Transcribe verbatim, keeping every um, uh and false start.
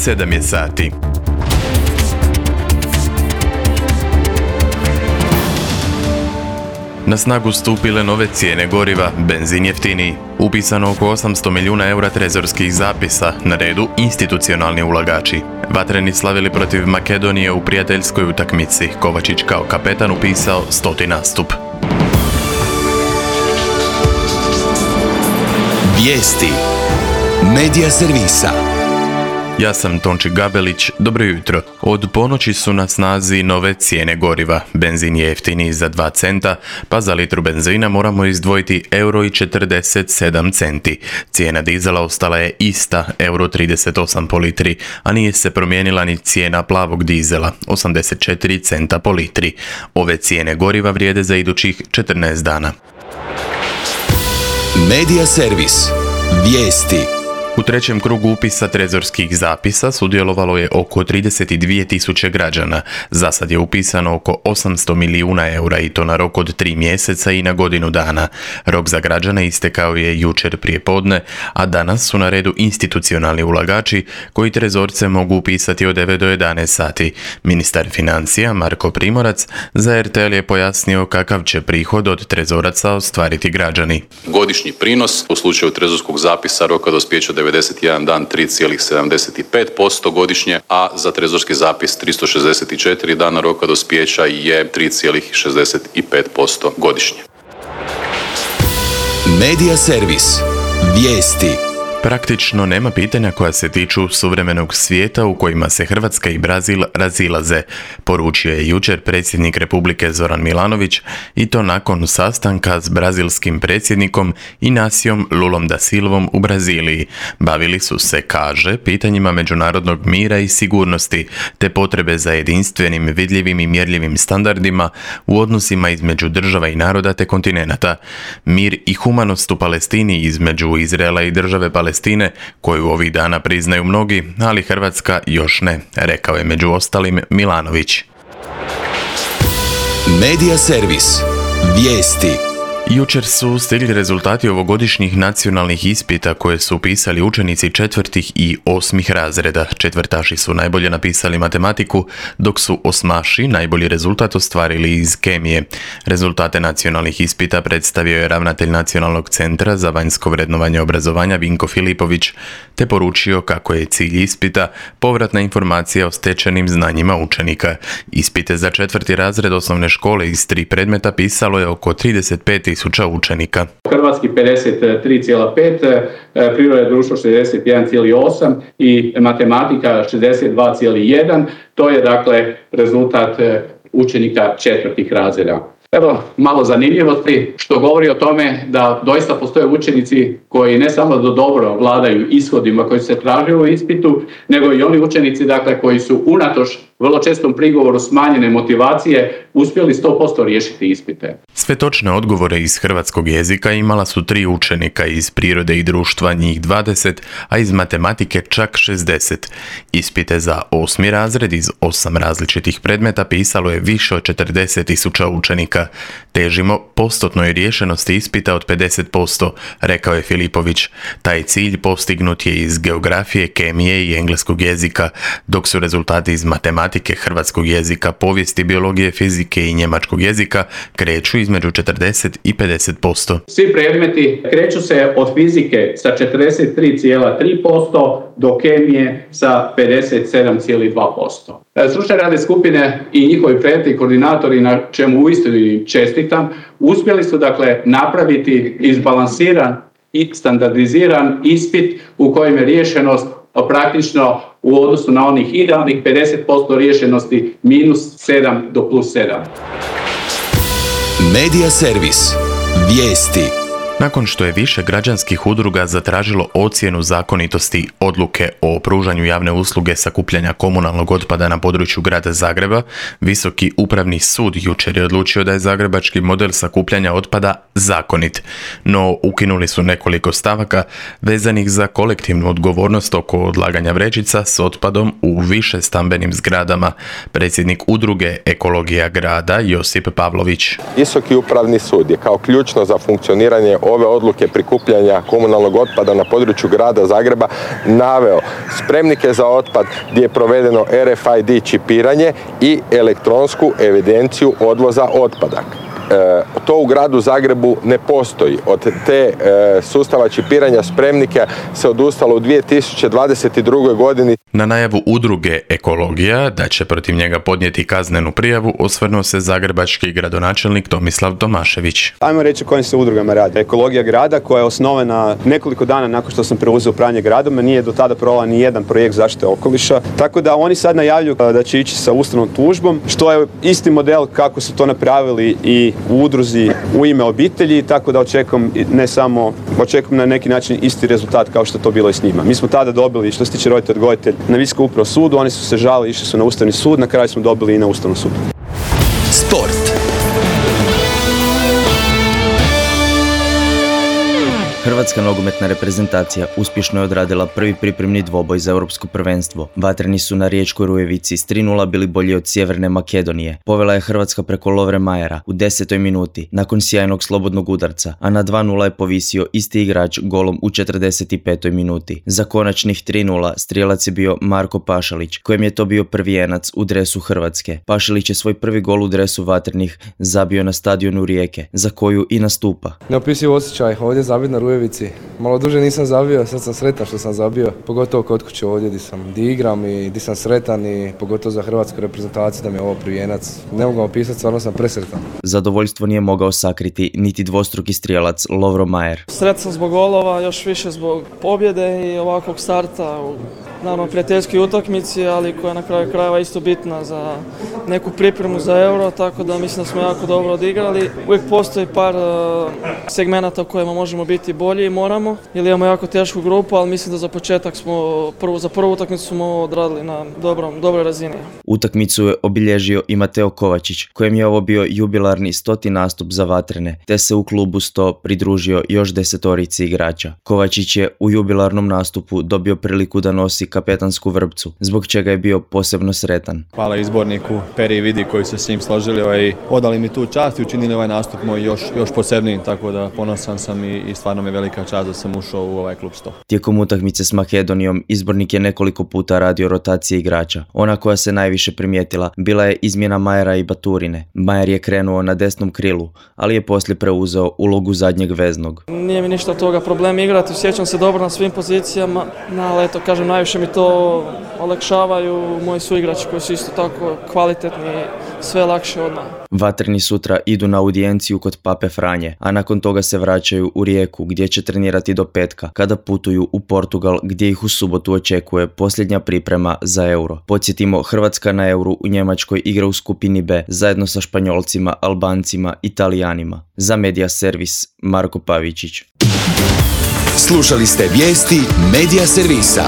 sedam je sati. Na snagu stupile nove cijene goriva, benzin jeftiniji. Upisano oko osamsto milijuna eura trezorskih zapisa, na redu institucionalni ulagači. Vatreni slavili protiv Makedonije u prijateljskoj utakmici. Kovačić kao kapetan upisao stoti nastup. Vijesti Medija servisa. Ja sam Tonči Gabelić, dobro jutro. Od ponoći su na snazi nove cijene goriva. Benzin je jeftiniji za dva centa, pa za litru benzina moramo izdvojiti euro i četrdeset sedam centi. Cijena dizela ostala je ista, euro trideset osam po litri, a nije se promijenila ni cijena plavog dizela, osamdeset četiri centa po litri. Ove cijene goriva vrijede za idućih četrnaest dana. Medija servis. Vijesti. U trećem krugu upisa trezorskih zapisa sudjelovalo je oko trideset dvije tisuće građana. Za sad je upisano oko osamsto milijuna eura i to na rok od tri mjeseca i na godinu dana. Rok za građane istekao je jučer prije podne, a danas su na redu institucionalni ulagači koji trezorce mogu upisati od devet do jedanaest sati. Ministar financija Marko Primorac za er te el je pojasnio kakav će prihod od trezoraca ostvariti građani. Godišnji prinos u slučaju trezorskog zapisa roka dospijeća devedeset jedan dan tri zarez sedamdeset pet posto godišnje, a za trezorski zapis tristo šezdeset četiri dana roka dospijeća je tri zarez šezdeset pet posto godišnje. Medija servis. Vijesti. Praktično nema pitanja koja se tiču suvremenog svijeta u kojima se Hrvatska i Brazil razilaze, poručio je jučer predsjednik Republike Zoran Milanović i to nakon sastanka s brazilskim predsjednikom Inacijom Lulom da Silvom u Braziliji. Bavili su se, kaže, pitanjima međunarodnog mira i sigurnosti, te potrebe za jedinstvenim, vidljivim i mjerljivim standardima u odnosima između država i naroda te kontinenata. Mir i humanost u Palestini između Izraela i države Palestine Palestine, koju ovih dana priznaju mnogi, ali Hrvatska još ne, rekao je među ostalim Milanović. Medija servis. Vijesti. Jučer su stigli rezultati ovogodišnjih nacionalnih ispita koje su upisali učenici četvrtih i osmih razreda. Četvrtaši su najbolje napisali matematiku, dok su osmaši najbolji rezultat ostvarili iz kemije. Rezultate nacionalnih ispita predstavio je ravnatelj Nacionalnog centra za vanjsko vrednovanje obrazovanja Vinko Filipović, te poručio kako je cilj ispita povratna informacija o stečenim znanjima učenika. Ispite za četvrti razred osnovne škole iz tri predmeta pisalo je oko trideset pet tisuća učenika. Hrvatski pedeset tri zarez pet, priroda i društvo šezdeset jedan zarez osam i matematika šezdeset dva zarez jedan. To je dakle rezultat učenika četvrtih razreda. Evo malo zanimljivosti što govori o tome da doista postoje učenici koji ne samo da dobro vladaju ishodima koji se traže u ispitu, nego i oni učenici dakle koji su unatoč vrlo čestom prigovoru smanjene motivacije uspjeli sto posto riješiti ispite. Sve točne odgovore iz hrvatskog jezika imala su tri učenika, iz prirode i društva njih dvadeset, a iz matematike čak šezdeset. Ispite za osmi razred iz osam različitih predmeta pisalo je više od četrdeset tisuća učenika. Težimo postotnoj riješenosti ispita od pedeset posto, rekao je Filipović. Taj cilj postignut je iz geografije, kemije i engleskog jezika, dok su rezultati iz matematike, hrvatskog jezika, povijesti, biologije, fizike i njemačkog jezika kreću između četrdeset i pedeset posto. Svi predmeti kreću se od fizike sa četrdeset tri zarez tri posto do kemije sa pedeset sedam zarez dva posto. Stručne radne skupine i njihovi predmeti i koordinatori, na čemu uistinu čestitam, uspjeli su dakle napraviti izbalansiran i standardiziran ispit u kojem je riješenost praktično u odnosu na onih idealnih pedeset posto riješenosti minus sedam do plus sedam. Medija servis. Vijesti. Nakon što je više građanskih udruga zatražilo ocjenu zakonitosti odluke o pružanju javne usluge sakupljanja komunalnog otpada na području grada Zagreba, Visoki upravni sud jučer je odlučio da je zagrebački model sakupljanja otpada zakonit. No, ukinuli su nekoliko stavaka vezanih za kolektivnu odgovornost oko odlaganja vrećica s otpadom u više stambenim zgradama. Predsjednik udruge Ekologija grada Josip Pavlović. Visoki upravni sud je kao ključno za funkcioniranje ove odluke prikupljanja komunalnog otpada na području grada Zagreba naveo spremnike za otpad gdje je provedeno R F I D čipiranje i elektronsku evidenciju odvoza otpada. E, to u gradu Zagrebu ne postoji. Od te e, sustava čipiranja spremnika se odustalo u dvije tisuće dvadeset druge. godini. Na najavu udruge Ekologija da će protiv njega podnijeti kaznenu prijavu osvrnuo se zagrebački gradonačelnik Tomislav Tomašević. Ajmo reći o kojim se udrugama radi. Ekologija grada koja je osnovana nekoliko dana nakon što sam preuzeo upravljanje gradom, nije do tada provela ni jedan projekt zaštite okoliša. Tako da oni sad najavljuju da će ići sa ustavnom tužbom, što je isti model kako su to napravili i u udruzi U ime obitelji, tako da očekujem ne samo, očekujem na neki način isti rezultat kao što je to bilo i s njima. Mi smo tada dobili, što se tiče roditelj odgojitelj, na Visokom upravnom sudu, oni su se žalili, išli su na Ustavni sud, na kraju smo dobili i na Ustavnom sudu. Sport. Hrvatska nogometna reprezentacija uspješno je odradila prvi pripremni dvoboj za europsko prvenstvo. Vatreni su na Riječkoj Rujevici s tri nula bili bolji od Sjeverne Makedonije. Povela je Hrvatska preko Lovre Majera u desetoj minuti nakon sjajnog slobodnog udarca, a na dva nula je povisio isti igrač golom u četrdeset petoj minuti. Za konačnih tri nula strijelac je bio Marko Pašalić, kojem je to bio prvijenac u dresu Hrvatske. Pašalić je svoj prvi gol u dresu Vatrenih zabio na stadionu Rijeke, za koju i nastupa. Neopisiv osjećaj, ovdje zabit na Rujevici. Malo duže nisam zabio, sad sam sretan što sam zabio, pogotovo kod kuće ovdje gdje sam, gdje igram i gdje sam sretan i pogotovo za hrvatsku reprezentaciju da mi je ovo prvijenac. Ne mogu opisati, stvarno sam presretan. Zadovoljstvo nije mogao sakriti niti dvostruki strijelac Lovro Majer. Sretan sam zbog golova, još više zbog pobjede i ovakvog starta u naravno prijateljskoj utakmici, ali koja je na kraju krajeva isto bitna za neku pripremu za Euro, tako da mislim da smo jako dobro odigrali. Uvijek postoji par uh, segmenata u kojima možemo biti bolji i moramo, jer imamo jako tešku grupu, ali mislim da za početak smo, prvo, za prvu utakmicu smo odradili na dobrom, dobroj razini. Utakmicu je obilježio i Mateo Kovačić, kojem je ovo bio jubilarni stoti nastup za Vatrene, te se u klubu sto pridružio još desetorici igrača. Kovačić je u jubilarnom nastupu dobio priliku da nosi kapetansku vrpcu, zbog čega je bio posebno sretan. Hvala izborniku Peri i Vidi koji su s njim složili ovaj, odali mi tu čast i učinili ovaj nastup moj još, još posebniji, tako da ponosan sam i, i stvarno mi je velika čast da sam ušao u ovaj klub sto. Tijekom utakmice s Makedonijom izbornik je nekoliko puta radio rotacije igrača. Ona koja se najviše primijetila bila je izmjena Majera i Baturine. Majer je krenuo na desnom krilu, ali je poslije preuzeo ulogu zadnjeg veznog. Nije mi ništa od toga problem igrati, osjećam se dobro na svim pozicijama, ali eto, kažem, najviše mi to olakšavaju moji suigrači koji su isto tako kvalitetni i sve lakše odmah. Vatreni sutra idu na audijenciju kod Pape Franje, a nakon toga se vraćaju u Rijeku gdje će trenirati do petka, kada putuju u Portugal gdje ih u subotu očekuje posljednja priprema za Euro. Podsjetimo, Hrvatska na Euru u Njemačkoj igra u skupini B zajedno sa Španjolcima, Albancima i Talijanima. Za Media Servis, Marko Pavičić. Slušali ste vijesti Media Servisa.